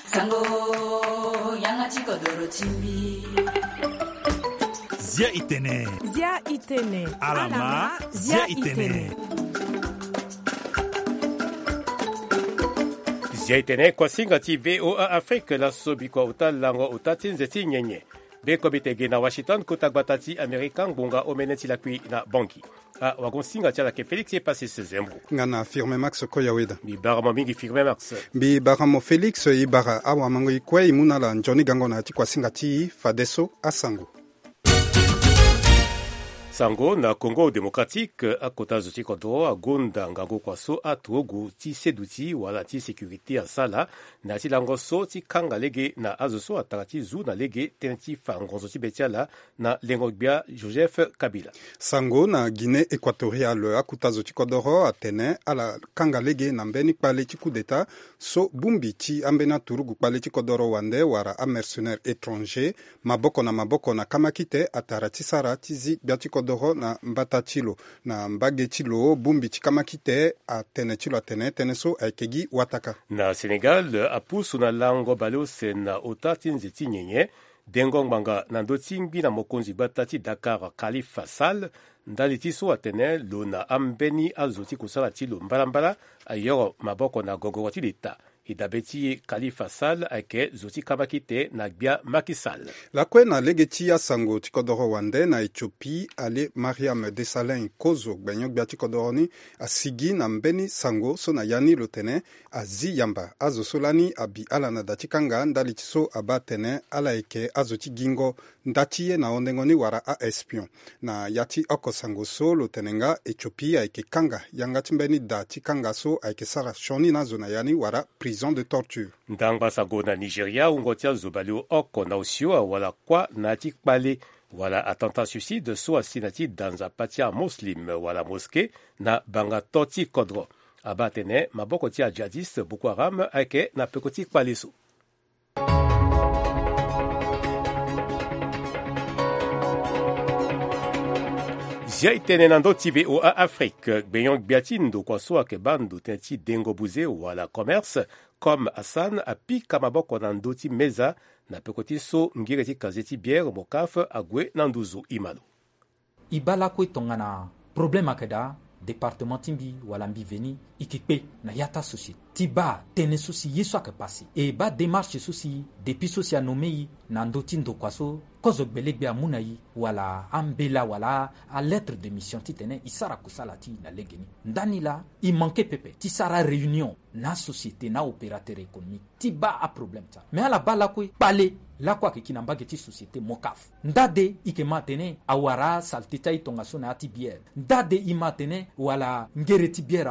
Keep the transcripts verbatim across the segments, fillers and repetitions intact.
Sango, yanga ti kodoro ti mbi. Zia itene. Zia itene. Alama, zia itene. Zia itene, kuasinga ti V O A Afrique, laso bikua ota lango ota ti nze ti nyenye. Be komite ge na Washington, kota gbata ti Amerika, ngbonga omene ti lakui na Bangui. Ah, wagon singa ti ala ke Félix e pasi se zembo. Nga na Firme Max Koyaweda. Mbi bara mo mingi Firme Max. Mbi bara mo Félix, e bara awamango e kue e mu na ala nzoni gango na ya ti kuasinga ti e fadeso asango. Sango na Congo Démocratique, akota zo ti kodro agonda ngangu kua so aturugu ti seduti wala ti sécurité asala na ya ti lango so ti kanga lege na azo so atara ti zu na lege tënë ti fa ngonzo ti be ti ala na lengo gbia Joseph Kabila. Sango na Guinée Équatoriale, akuta zo ti kodoro atene ala kanga lege na mbeni kpale ti coup d'état so bongbi ti ambeni aturugu kpale ti kodoro wande wala amercenaire étranger, maboko na maboko na kamakite atara ti sara ti zi gbia ti kodoro na mbata ti lo. Na mbage ti lo, bongbi ti kamakite atene ti lo atene tënë so ayeke gi wataka. Na Sénégal, apusu na lango baleuse na ota ti nze ti nyenye, dengo ngbanga na ndö ti ngbi na mokonzi gbata ti Dakar, Khalifa Sall, ndali ti so atene lo na ambeni azo ti kusala ti lo mbalambala ayoro maboko na gogoro ti leta. E dabe ti e, Khalifa Sall ayeke zo ti kamakite na gbia Macky Sall. Lakue na lege ti asango ti kodoro wande na Éthiopie, ale Mariam Desalegn Kozo, gbenyo-gbia ti kodoro ni, asigi na mbeni sango so na ya ni lo tene azi yamba azo so lani abi ala na da ti kanga ndali ti so abaa atene ala yeke azo ti gingo nda ti ye na hondengo ni wala a-espion. Na ya ti oko sango so lo tene nga Éthiopie ayeke kanga yanga ti mbeni da ti kanga so ayeke sara sioni na azo na ya ni wala prison de torture. Ndangba sango na Nigeria, wungo ti azo baleoko na osio awara kuâ na ya ti kpale wala attentat suicide so asi na ya ti da nzapa ti amuslim wala mosquée na bangato ti kodro. Abaa atene maboko ti ajihadiste Boko Haram ayeke na peko ti kpale so. Zia e tene na ndö ti V O A Afrique, gbenyo-gbia ti ndokua so ayeke baa ndo tënë ti dengo buze wala commerce, Comme Hassan apika maboko na ndö ti meza na peko ti so ngere ti casier ti bière Mocaf ague na nduzu. E ma lo. E baa lakue tongana problème ayeke daa, département ti mbi wala mbi veni e ke kpe na ya ti asociété ti baa tënë so si ye so ayeke pase. E baa démarche so si depuis so si anommé e na ndö ti ndokua so kozo gbelegbia amu na e wala ambela wala alettre de mission titene e sara kusala ti e na legeni. Ndani laa e manqué pepe ti sara réunion na asociété na aopérateur économique ti baa aproblème ti ala. Mais ala baa lakue kpale lakue ayeke ki na mbage ti société Mocaf. Nda de e ke ma atene awara asalte ti aye tongaso na ya ti bière. Nda de e ma atene wala ngere ti bière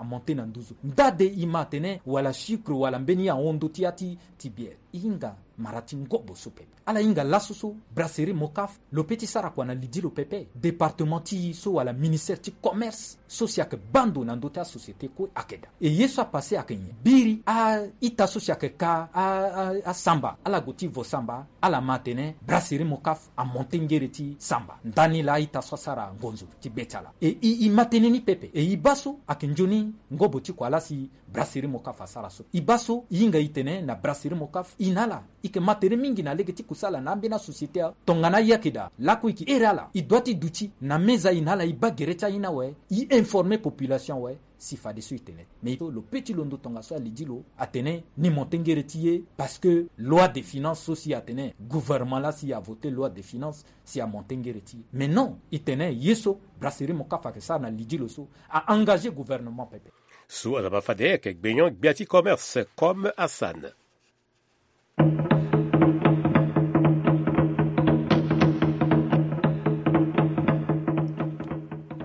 amonté na nduzu. Nda de e ma atene wala sucre wala mbeni ahon ndö ti ya ti ti bière. E hinga mara ti ngobo so pepe. Ala hinga laso so brasserie Mocaf lo pe ti sara kua na lidi lo pepe. Département ti e so wala ministère ti commerce so si ayeke baa ndo na ndö ti asociété kue ayeke daa. E ye so apase ayeke nyen? Biri a-ita so si ayeke ka a, a, asamba, ala gue ti vo samba, ala ma atene brasserie Mocaf amonté ngere ti samba. Ndani laa a-ita so asara ngonzo ti be ti ala. E, e, e ma tënë ni pepe. E e baa so ayeke nzoni ngobo ti kua laa si brasserie Mocaf asara so. E baa so e hinga e tene na brasserie Mocaf e na ala e yeke ma tere mingi na lege ti kusala na ambeni asociété. Tongana aye ayeke daa, lakue e yeke here ala, e dua ti duti na meza e na ala e baa gere ti aye ni awe, e informer population awe si fadeso e tene. Mais lo pe ti londo tongaso alidi lo atene ni monté ngere ti ye parce que loi de finance so si atene gouvernement laa si avoté loi de finance si amonté ngere ti ye. Mais non, e tene ye so brasserie Mocaf ayeke sara na lidi lo so a engagé gouvernement pepe. So ala ma fade ayeke gbenyo-gbia ti commerce Comme Hassan.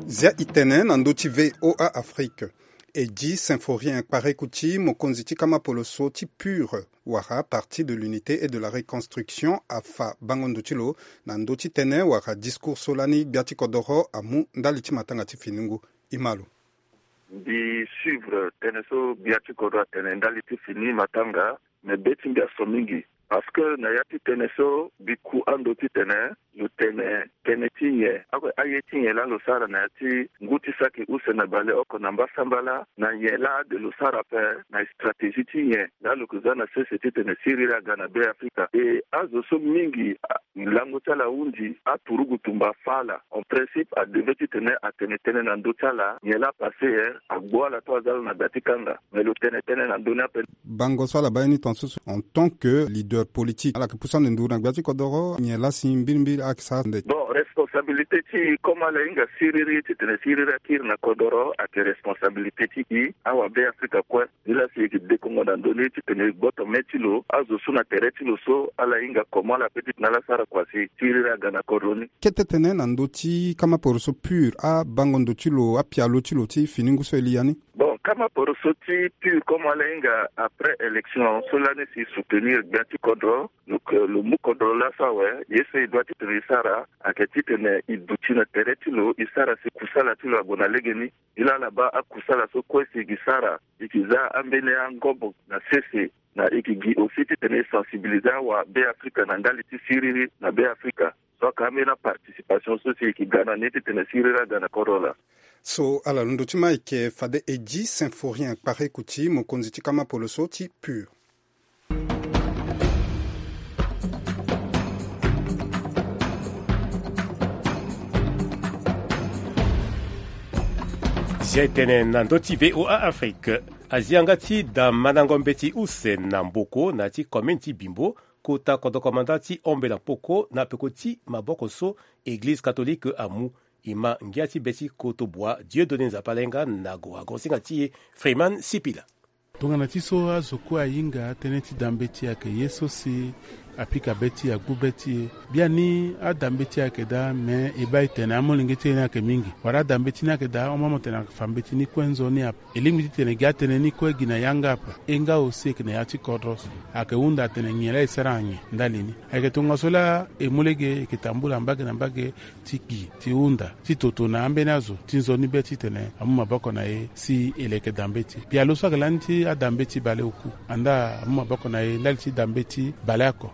Zia e tene na ndö ti V O A Afrique. Eddy Symphorien Kparekouti, mokonzi ti kama poloso ti PUR, wala Parti de l'Unité et de la Reconstruction, afa bango ndo ti lo na ndö ti tënë wala discours so lani gbia ti kodoro amu ndali ti matanga ti finingu. E ma lo. Mbi suivre tënë so gbia ti kodro atene ndali ti fini matanga, me be ti mbi aso mingi. Parce que na ya ti tënë so, mbi ku ando titene lo tene tënë ti nyen, aye ti nyen laa lo sara na ya ti ngu ti saki use na baleoko na mbasambala, na nyen laa ade lo sara ape, na stratégie ti nyen laa lo yeke za na sese titene siriri aga na Be Afrika. E azo so mingi, lango ti ala ahunzi aturugu tumba afa ala. En principe, adevait titene atene tënë na ndö ti ala, nyen laa apase, agbu ala to aza lo na gba ti kanga. Mais lo tene tënë na ndö ni ape. Bango so ala baa ye ni tongaso so, en tant que leader politique, ala yeke pusu ande nduru na gbia ti kodoro, nyen laa si mbirimbiri ayeke sara nde? Bon, responsabilité ti e, comme ala hinga siriri titene siriri akiri na kodoro, ayeke responsabilité ti e, awa Be Afrika kue. Nilaa si e yeke dekongo na ndö ni titene e gboto me ti lo, azo so na tere ti lo so, ala hinga comment ala pe titene ala sara kua si siriri aga na kodro ni. Kete tënë na ndö ti kamaporo so pur, abango ndo ti lo, apialo ti lo ti fini ngu so e li ya ni? Bon, kamaporo so ti pur, comme ala hinga après élection so lani si soutenir gbia ti kodro, donc, euh, lo mu kodro laso awe, ye so e doit titene e sara, ayeke titene e duti na tere ti lo, e sara si kusala ti lo ague na legeni. Nilaa ala baa akusala so kue si e ke sara, e ke za ambeni angobo na sese, na e ke gi aussi titene e sensibiliser awa Be Afrika na ndali ti siriri na Be Afrika. So ayeke ambeni aparticipation so si e ke ga na ni titene siriri aga na kodro laa. So ala londo ti ma ayeke fade Eddy Symphorien Kparekouti, mokonzi ti kamaporo so ti pur. Zia e tene na ndö ti V O A Afrique. Azia nga ti da mandango mbeti use na Mboko na ya ti commune ti Bimbo, kota kodro komanda ti Ombela Mpoko na peko ti maboko so Eglize catholique amu. E ma ngia ti be ti kotobua Dieudonné Nzapa Lainga na goago singa ti e Freeman Sipila. Tongana ti so azo kue ahinga tënë ti da mbeti ayeke ye so si apika be ti e, agbu be ti e. Biani ada mbeti ayeke daa, me e baa e tene amolenge ti e ni ayeke mingi. Wala ada mbeti ni ayeke daa, hon mo tene ayeke fa mbeti ni kue nzoni ape. E lingbi titene gi atënë ni kue gi na yanga ape. E nga aussi e yeke na ya ti kodro so. Ayeke hunda atene nyen laa e sara na nyen ndali ni. Ayeke tongaso laa e mu lege e yeke tambula mbage na mbage ti gi, ti hunda, ti toto na ambeni azo ti nzoni be titene amu maboko na e si e leke da mbeti. Pialo so ayeke lani ti ada mbeti baleoku, andaa amu maboko na e ndali ti da mbeti baleoko.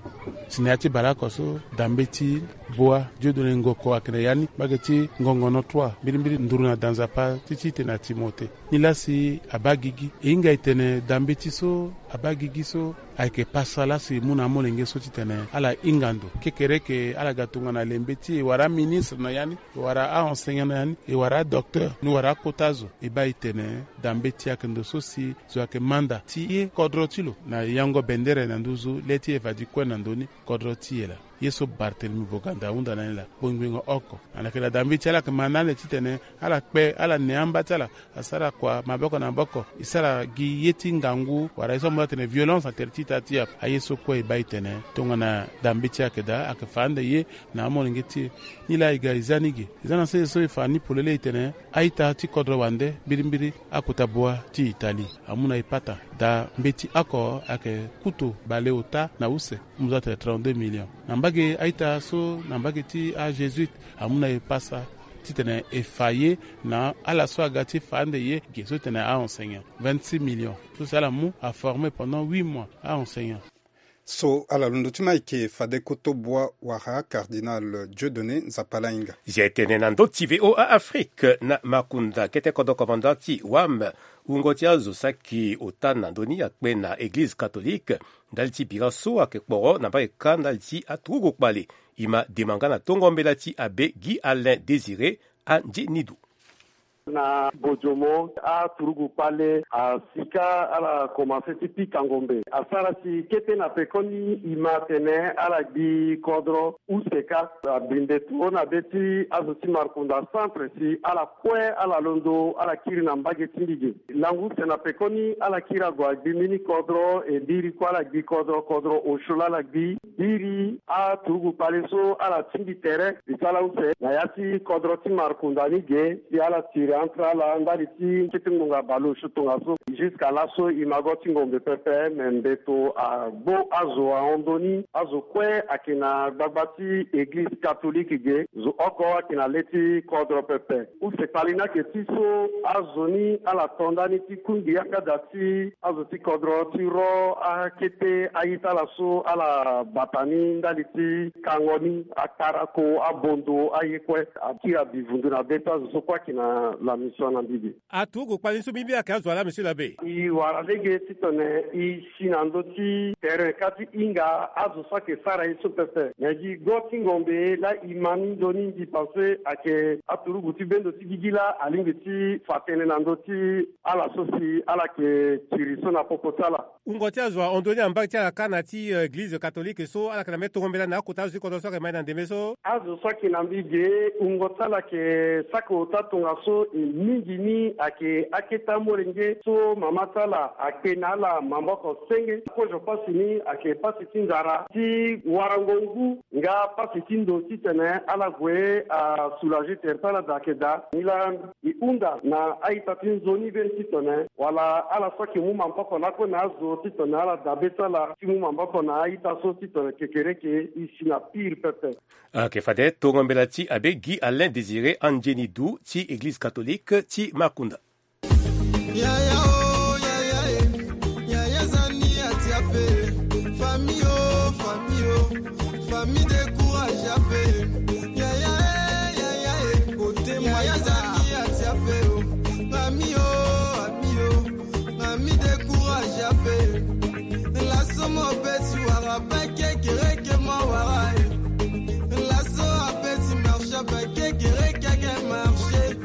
Si na ya ti baleoko so, da mbeti Boa Dieudonné Ngoko ayeke na ya ni, mbage ti Ngongono trois, mbirimbiri nduru na da Nzapa ti titene na Timothée. Nilaa si abaa gigi. E hinga e tene da mbeti so abaa gigi so ayeke pasa laa si e mu na amolenge so titene ala hinga ndo. Kekereke ala ga tongana lembe ti e wala aministre na ya ni, e wara a-enseignant na ya ni, e wara adocteur, ni wara akota zo. E baa e tene da mbeti ayeke ndo so si zo ayeke manda ti ye kodro ti lo na yango bendere na nduzu le ti e fa di kue na ndö ni kodro ti e laa. Ye so Barthélemy Boganda ahunda na ni laa, gbongbingo oko. Ala yeke na da mbeti, ala yeke ma na ande titene ala kpe, ala ne amba ti ala, asara kua maboko na maboko, e sara gi ye ti ngangu, wala ye so amu atene violence na tere ti ita ti e ape. Aye so kue e baa e tene tongana da mbeti ayeke daa, ayeke fa ande ye na amolenge ti e. Nilaa e ga e za ni ge. E za na sese so e fa ni polele e tene a-ita ti kodro wande, mbirimbiri akota Boa ti Italie, amu na e pata. Da mbeti oko ayeke kuto baleota na use, amu za tene trente-deux millions. Na mbage a-ita so na mbage ti a-jésuite, amu na e pasa titene e fa ye na ala so aga ti fa ande ye ge so tene a-enseignant, vingt-six millions. So si ala mu aformer pendant huit mois a-enseignant. So ala londo ti ma ayeke fade kotobua wala cardinal Dieudonné Nzapa Lainga. Zia e tene na ndö ti V O A Afrique na makunda kete kodro komanda ti wam. Wungo ti azo saki ota na ndö ni akpe na Eglize catholique ndali ti bira so ayeke kporo na mbage kâ ndali ti aturugu kpale. E ma dema nga na tongo mbela ti abbé Guy Alain Désiré Andienidu. Na Bojomo, aturugu kpale asika ala komanse ti pika ngombe. Asara si kete na pekoni e ma atene ala gbi kodro use kâ. Abinde toro na be ti azo ti markunda centre si ala kue ala londo ala kiri na mbage ti mbi ge. Lango use na pekoni ala kiri ague agbi mbeni kodro, e biri kue ala gbi kodro, kodro osio laa ala gbi. Biri aturugu kpale so ala tingbi tere, e sara use na ya ti kodro ti markunda ni ge si ala tiri Entre ala ndali ti kete ngonga baleoso tongaso, jusqu'à laso e ma go ti ngombe pepe, me mbeto agbo azo ahon ndoni. Azo kue ayeke na gbagba ti eglize katolike ge, zo oko ayeke na le ti kodro pepe. Use kpali ni ayeke ti so azo ni ala to ndani ti kungbi yanga daa ti azo ti kodro ti ro akete a-ita ala so ala bata ni ndali ti kango ni, akarako, abondo, aye kue. Akiri abivundu na be ti azo so kue ayeke na la mission na mbi ge. Aturugu kpali ni so mbi mbi ayeke azo wa laa, monsieur l'abbé? E wara lege titene e si na ndö ti tere ka ti hinga azo so ayeke sara ye so pepe. Me gi go ti ngombe laa e ma ni ndoni, mbi pense ayeke aturugu ti bendo ti gigi laa alingbi ti fa tënë na ndö ti ala so si ala yeke kiri so na popo ti ala. Wungo ti azo ahon ndoni na mbage ti ala kâ na ti, eh, eglize katolike so ala yeke na mbeni tongo mbela na akota azo ti kodro so ayeke ma e na ndembe so? Azo so ayeke na mbi ge, wungo ti ala yeke saki ota tongaso, e mingi ni ayeke akete amolenge so mama ti ala akpe na ala maboko senge. Kozo pasi ni ayeke pasi ti nzara, ti warango ngu, nga pasi ti ndo titene ala gue asoulager tere ti ala daa ayeke daa. Nilaa e hunda na a-ita ti nzoni be titene wala ala so ayeke mu maboko lakue na azo titene ala dabe ti ala ti mu maboko na a-ita so titene kekereke e si na pire pepe. Ayeke fade tongo mbela ti abbé Guy Alain Désiré Andieni Du ti eglize katolike ti Makunda. Yaya o, yaya e, yaya zani ati ape. Famille o, famille o, famille décourage ape. Yaya e, yaya e, kote yaya zani ati ape o. Ami o, ami o, ami décourage ape. Laso mo beti wara bake kereke mo wara e. Laso abeti marche bake kereke ake marche.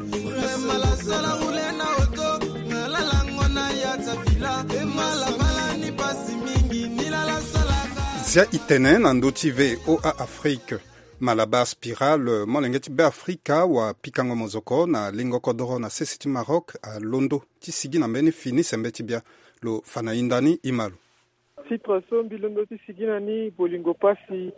Zia e tene na ndö ti V O A Afrique. Malabar Spiral, molenge ti Beafrika wa pikango mozoko na lingo kodoro na sese ti Maroc, alondo ti sigi na mbeni fini sembe ti bia. Lo fa na hinda ni, e ma lo. Titre so mbi londo ti sigi na ni, bolingo pasi.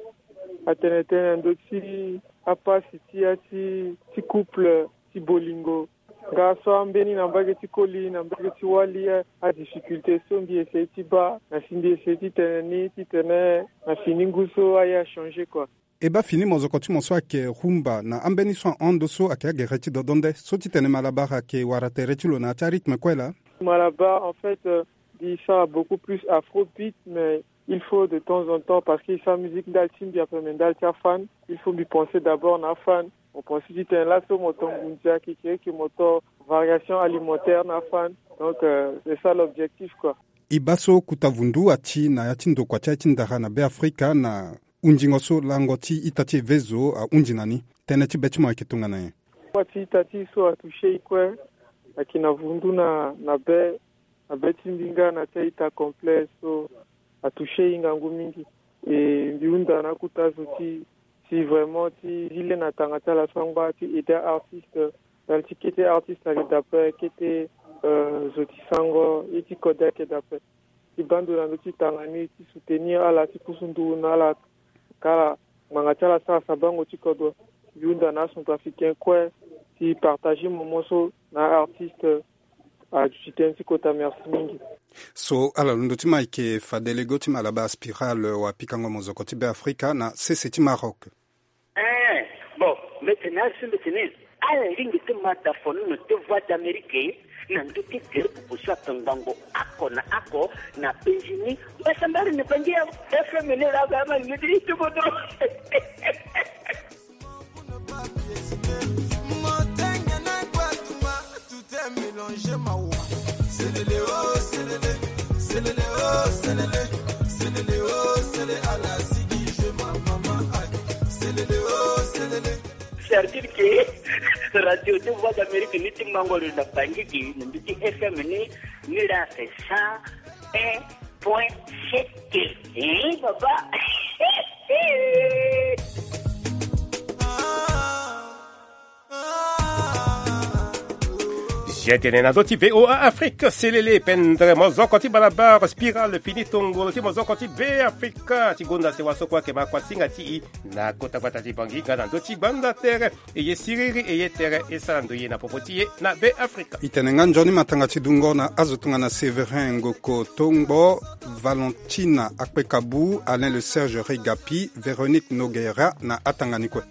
Atene tënë na ndö ti apasi ti ya ti, ti couple ti bolingo. Nga so ambeni na mbage ti koli, na mbage ti wali, a, adifficulté so mbi essayer ti baa, na si mbi essayer ti tene ni, titene na fini ngu so aye achanger quoi. E baa fini mozoko ti mo so ayeke rumba na ambeni so ahon ndo so ayeke agere ti dodo nde so titene Malabar ayeke wara tere ti lo na ya ti arythme kue laa. Malabar, en fait, euh, mbi sara beaucoup plus afrobeat, mais il faut de temps en temps, parce que e sara musique ndali ti mbi ape, mais ndali ti afan, il faut mbi penser d'abord na afan. Mo penser titene laso mo to ngunza kekereke, mo to variation alimentaire na afan. Donc, euh, c'est ça l'objectif quoi. E baa so kota vundu ati na ya ti ndokua ti aye ti ndara na Beafrika na hunzingo so lango ti ita ti evezo ahunzi na ni. Tënë ti be ti mo ayeke tongana nyen? Kua ti ita ti e so atoucher e kue. Ayeke na vundu na, na be, na be ti mbi nga na ti a-ita complet so atoucher e ngangu mingi. E mbi hunda na akota zo ti, ti vraiment ti zi le na tanga ti ala sangba ti aider artiste, ndali ti kete artiste ayeke daa ape, kete, euh, zo ti sango ye ti kode ayeke daa ape. Ti baa ndo na ndö ti tanga ni, ti soutenir ala, ti pusu nduru na ala, ka ala ngbanga ti ala sara sabango ti kodro. Mbi hunda na acentrafricain kue ti partager moment so na artiste. Aduti tënë ti kota, merci mingi. So ala londo ti ma ayeke fade lego ti Malabar Spiral wa pikango mozoko ti Beafrika na sese ti Maroc. Eh, bon, mbeti ni asi mbeti ni. Ala lingbi ti ma da fono na ti Voix d'Amérique na ndö ti gere pupu so ayeke ngbongo oko na oko na penzi ni. Mbasambara ni bangi ya F M ni laa, ba ma ni ti bodo. Motenge na gbaduma. Tout est mélangé, mawa. Selele, oh, selele. Selele, oh, selele. Selele, oh, selele. Ala sigi, je ma maman, aïe. Selele, oh, selele. C'est-à-dire que Radio de Voix d'Amérique ni ti mango lo na Bangui, na ndö ti F M ni, ni la c'est cent un point sept. Eh, papa. Tene na ndö ti VOA Afrique selele pendere mozoko ti balabala spirale fini tongolo ti mozoko ti Be Afrika ti gonda sewa so kue ayeke ma kuasinga ti i na kota gbata ti Bangui nga na ndö ti gbanda tere. E ye siriri e ye tere e sara ndoye na popo ti e na Be Afrika. E tene nga nzoni matanga ti dungo na azo tongana Séverin Ngoko Tongbo, Valentina Akpekabu, Alain le Serge Regapi, Véronique Nogueira na atanga ni kue.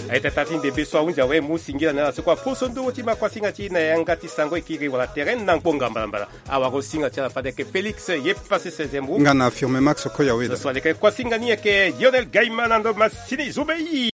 Aye tata ti ndembe so ahunzi awe mu singila na ala so kue aposo ndongo ti ma kuasinga ti e na yanga ti sango e kiri wala tere na ngbonga mbalambala. Awara osinga ti ala fade ayeke Félix ye pase seizième roue. Nga na Firme Max Koyawe. Lo so aleke kuasinga ni ayeke Lionel Gaima na ndo masini zo be.